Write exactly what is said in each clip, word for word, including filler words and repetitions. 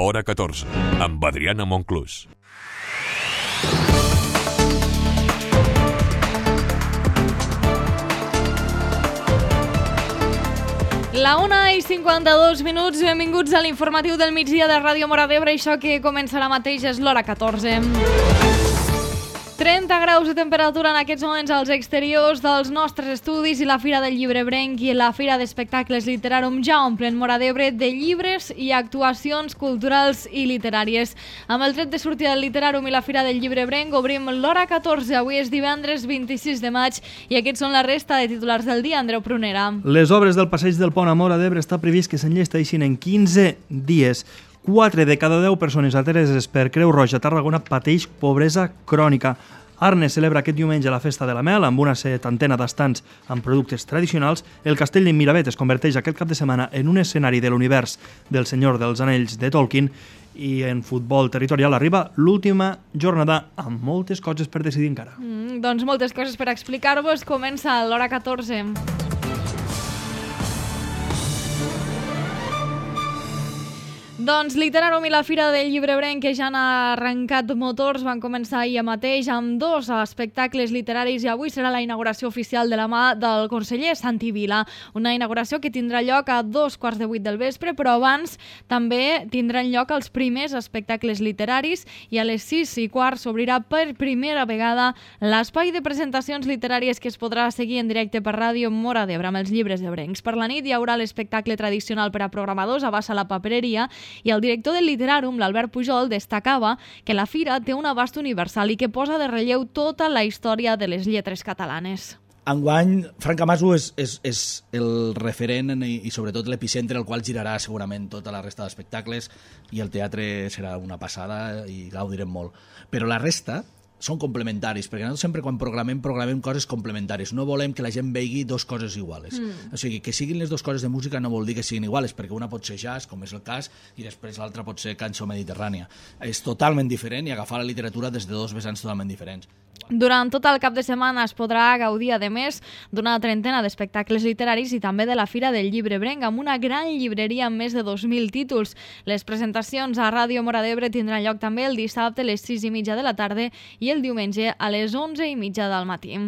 Hora catorze, amb Adriana Monclús. La una i cinquanta-dos minuts, benvinguts a l'informatiu del migdia de Ràdio Móra d'Ebre. Això que comença ara mateix és l'hora catorze. trenta graus de temperatura en aquests moments als exteriors dels nostres estudis i la Fira del Llibre Ebrenc i la Fira d'Espectacles Literarum ja omplen Móra d'Ebre de llibres i actuacions culturals i literàries. Amb el tret de sortida del Literarum i la Fira del Llibre Ebrenc obrim l'hora catorze. Avui és divendres vint-i-sis de maig i aquests són la resta de titulars del dia. Andreu Prunera. Les obres del Passeig del Pont a Móra d'Ebre està previst que s'enllesteixin en quinze dies. quatre de cada deu persones ateses per Creu Roja a Tarragona pateix pobresa crònica. Arnes celebra aquest diumenge la Festa de la Mel amb una setantena d'estants amb productes tradicionals. El castell de Miravet es converteix aquest cap de setmana en un escenari de l'univers del Senyor dels Anells de Tolkien. I en futbol territorial arriba l'última jornada amb moltes coses per decidir encara. Mm, doncs moltes coses per explicar-vos. Comença l'hora catorze. Doncs Literarum i la Fira del Llibre Ebrenc, que ja han arrencat motors, van començar ahir mateix amb dos espectacles literaris i avui serà la inauguració oficial de la mà del conseller Santi Vila. Una inauguració que tindrà lloc a dos quarts de vuit del vespre, però abans també tindran lloc els primers espectacles literaris i a les sis i quart s'obrirà per primera vegada l'espai de presentacions literàries que es podrà seguir en directe per Ràdio Móra d'Ebre amb els llibres ebrencs. Per la nit hi haurà l'espectacle tradicional per a programadors a Bassa la Papereria. I el director del Literarum, l'Albert Pujol, destacava que la fira té un abast universal i que posa de relleu tota la història de les lletres catalanes. Enguany, Franca Maso és, és, és el referent i, i sobretot l'epicentre al qual girarà segurament tota la resta d'espectacles i el teatre serà una passada i gaudirem molt. Però la resta són complementaris, perquè nosaltres sempre quan programem, programem coses complementàries. No volem que la gent vegi dos coses iguales. Mm. O sigui, que siguin les dues coses de música no vol dir que siguin iguales, perquè una pot ser jazz, com és el cas, i després l'altra pot ser cançó mediterrània. És totalment diferent i agafar la literatura des de dos vessants totalment diferents. Durant tot el cap de setmana es podrà gaudir, a més, d'una trentena d'espectacles literaris i també de la Fira del Llibre Ebrenc, amb una gran llibreria amb més de dos mil títols. Les presentacions a Ràdio Móra d'Ebre tindran lloc també el dissabte a les sis i mitja de la tarda i el diumenge a les onze i mitja del matí.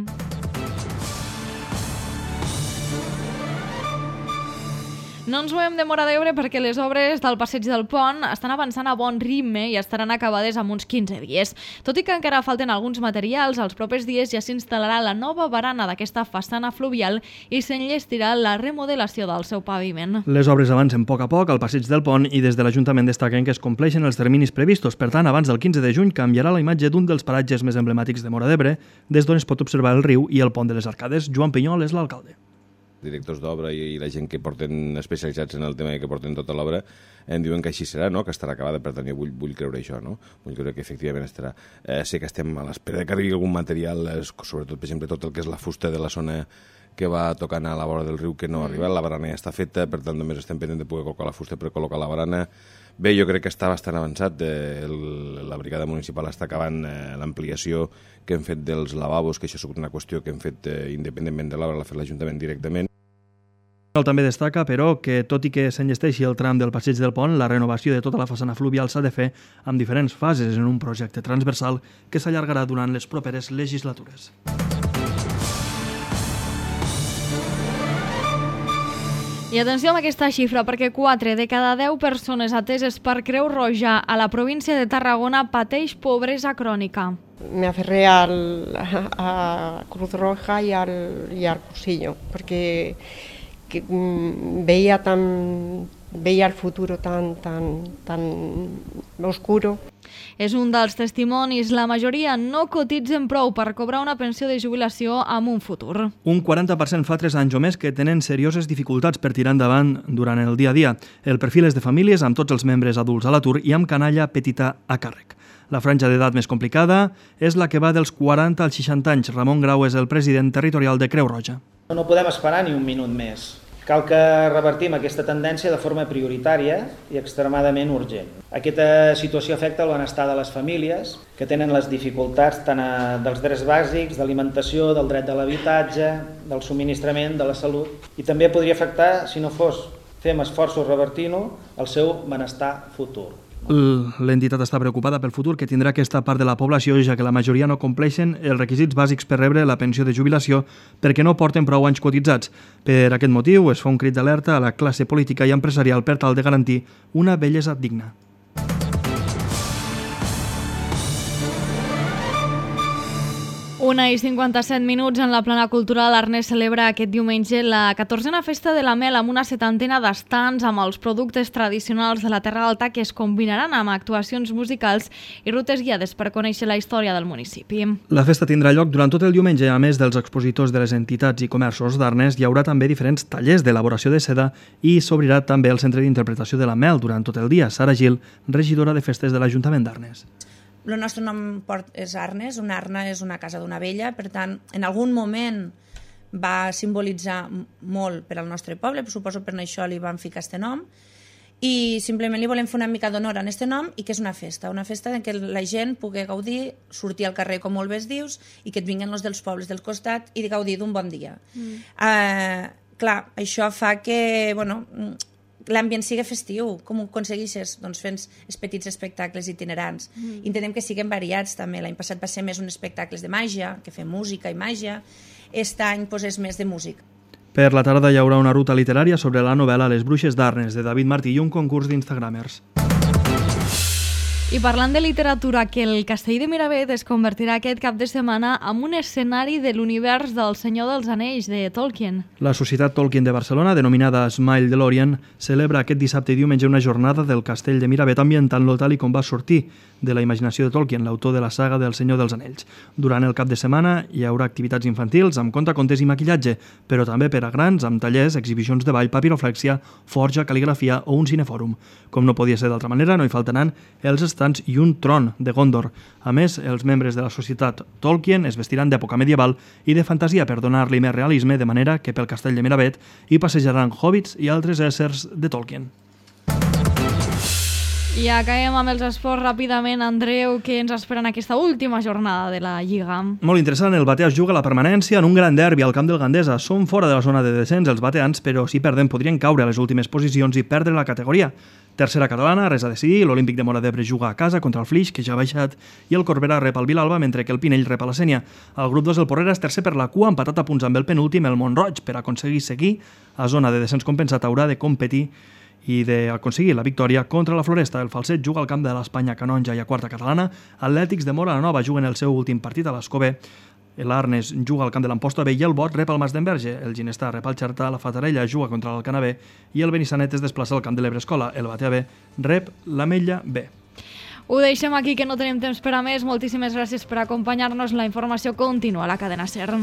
No ens movem de Móra d'Ebre perquè les obres del Passeig del Pont estan avançant a bon ritme i estaran acabades en uns quinze dies. Tot i que encara falten alguns materials, els propers dies ja s'instal·larà la nova barana d'aquesta façana fluvial i s'enllestirà la remodelació del seu paviment. Les obres avancen a poc a poc al Passeig del Pont i des de l'Ajuntament destaquen que es compleixen els terminis previstos. Per tant, abans del quinze de juny canviarà la imatge d'un dels paratges més emblemàtics de Móra d'Ebre, des d'on es pot observar el riu i el pont de les Arcades. Joan Pinyol és l'alcalde. Directors d'obra i la gent que porten especialitzats en el tema i que porten tota l'obra em diuen que així serà, no? Que estarà acabada, per tant jo vull, vull creure això, no? Vull creure que efectivament estarà. Eh, sé que estem a l'espera que arribi algun material, eh, sobretot, per exemple, tot el que és la fusta de la zona que va tocant a la vora del riu que no ha arribat, la barana ja està feta, per tant només estem pendents de poder col·locar la fusta per col·locar la barana. Bé, jo crec que està bastant avançat, eh, el, la brigada municipal està acabant eh, l'ampliació que hem fet dels lavabos, que això ha sigut una qüestió que hem fet eh, independentment de l'obra, l'ha fet l'Ajuntament directament. També destaca, però, que tot i que s'enllesteixi el tram del Passeig del Pont, la renovació de tota la façana fluvial s'ha de fer amb diferents fases en un projecte transversal que s'allargarà durant les properes legislatures. I atenció amb aquesta xifra, perquè quatre de cada deu persones ateses per Creu Roja a la província de Tarragona pateix pobresa crònica. Me aferré al, a Cruz Roja y al, y al cursillo, porque que, mm, veía tan veía el futuro tan tan tan oscuro. És un dels testimonis. La majoria no cotitzen prou per cobrar una pensió de jubilació amb un futur. Un quaranta per cent fa tres anys o més que tenen serioses dificultats per tirar endavant durant el dia a dia. El perfil és de famílies amb tots els membres adults a l'atur i amb canalla petita a càrrec. La franja d'edat més complicada és la que va dels quaranta als seixanta anys. Ramon Grau és el president territorial de Creu Roja. No podem esperar ni un minut més. Cal que revertim aquesta tendència de forma prioritària i extremadament urgent. Aquesta situació afecta el benestar de les famílies, que tenen les dificultats tant a, dels drets bàsics, d'alimentació, del dret de l'habitatge, del subministrament, de la salut, i també podria afectar, si no fos fem esforços revertint-ho, el seu benestar futur. L'entitat està preocupada pel futur que tindrà aquesta part de la població, ja que la majoria no compleixen els requisits bàsics per rebre la pensió de jubilació perquè no porten prou anys cotitzats. Per aquest motiu es fa un crit d'alerta a la classe política i empresarial per tal de garantir una vellesa digna. Una i cinquanta-set minuts en la plana cultural. Ernest celebra aquest diumenge la catorzena festa de la mel amb una setantena d'estants amb els productes tradicionals de la Terra Alta que es combinaran amb actuacions musicals i rutes guiades per conèixer la història del municipi. La festa tindrà lloc durant tot el diumenge. A més dels expositors de les entitats i comerços d'Arnes, hi haurà també diferents tallers d'elaboració de seda i s'obrirà també el centre d'interpretació de la mel durant tot el dia. Sara Gil, regidora de festes de l'Ajuntament d'Arnes. El nostre nom és Arnes, una arna és una casa d'una vella, per tant, en algun moment va simbolitzar molt per al nostre poble, suposo per això li vam ficar aquest nom, i simplement li volem fer una mica d'honor a aquest nom i que és una festa, una festa en què la gent pugui gaudir, sortir al carrer com molt bé es dius, i que et vinguin els dels pobles del costat i gaudir d'un bon dia. Mm. Uh, clar, això fa que, bueno, l'ambient sigui festiu. Com ho aconsegueixes? Doncs fent els petits espectacles itinerants. Mm. Intentem que siguin variats també. L'any passat va ser més un espectacles de màgia, que fem música i màgia. Aquest any pues, és més de música. Per la tarda hi haurà una ruta literària sobre la novel·la Les bruixes d'Arnes, de David Martí, i un concurs d'instagramers. I parlant de literatura, que el Castell de Miravet es convertirà aquest cap de setmana en un escenari de l'univers del Senyor dels Anells, de Tolkien. La Societat Tolkien de Barcelona, denominada Smile DeLorean, celebra aquest dissabte i diumenge una jornada del Castell de Miravet ambientant-lo tal i com va sortir de la imaginació de Tolkien, l'autor de la saga del Senyor dels Anells. Durant el cap de setmana hi haurà activitats infantils amb contacontes i maquillatge, però també per a grans amb tallers, exhibicions de ball, papiroflèxia, forja, cal·ligrafia o un cinefòrum. Com no podia ser d'altra manera, no hi faltaran els estants i un tron de Gondor. A més, els membres de la Societat Tolkien es vestiran d'època medieval i de fantasia per donar-li més realisme, de manera que pel Castell de Miravet hi passejaran hobbits i altres éssers de Tolkien. I acabem amb els esports ràpidament. Andreu, què ens espera en aquesta última jornada de la Lliga? Molt interessant, el Batea es juga la permanència en un gran derbi al camp del Gandesa. Són fora de la zona de descens els bateans, però si perden podrien caure a les últimes posicions i perdre la categoria. Tercera catalana, res a decidir, l'Olímpic de Móra d'Ebre juga a casa contra el Flix, que ja ha baixat, i el Corbera rep el Vilalba, mentre que el Pinell rep a la Sénia. El grup dos del Porrera és tercer per la cua, empatat a punts amb el penúltim, el Montroig. Per aconseguir seguir a zona de descens compensat haurà de competir i d'aconseguir la victòria contra la Floresta. El Falset juga al camp de l'Espanya Canonja i a quarta catalana. Atlètics de Móra la Nova juguen el seu últim partit a l'Escobé. L'Arnes juga al camp de l'Amposta B i el Bot rep el Mas d'Enverge. El Ginestar rep el Xerta, la Fatarella juga contra l'Alcanavè i el Benissanet es desplaça al camp de l'Ebrescola. El Batea B rep l'Ametlla B. Ho deixem aquí, que no tenim temps per a més. Moltíssimes gràcies per acompanyar-nos. La informació continua a la cadena SER.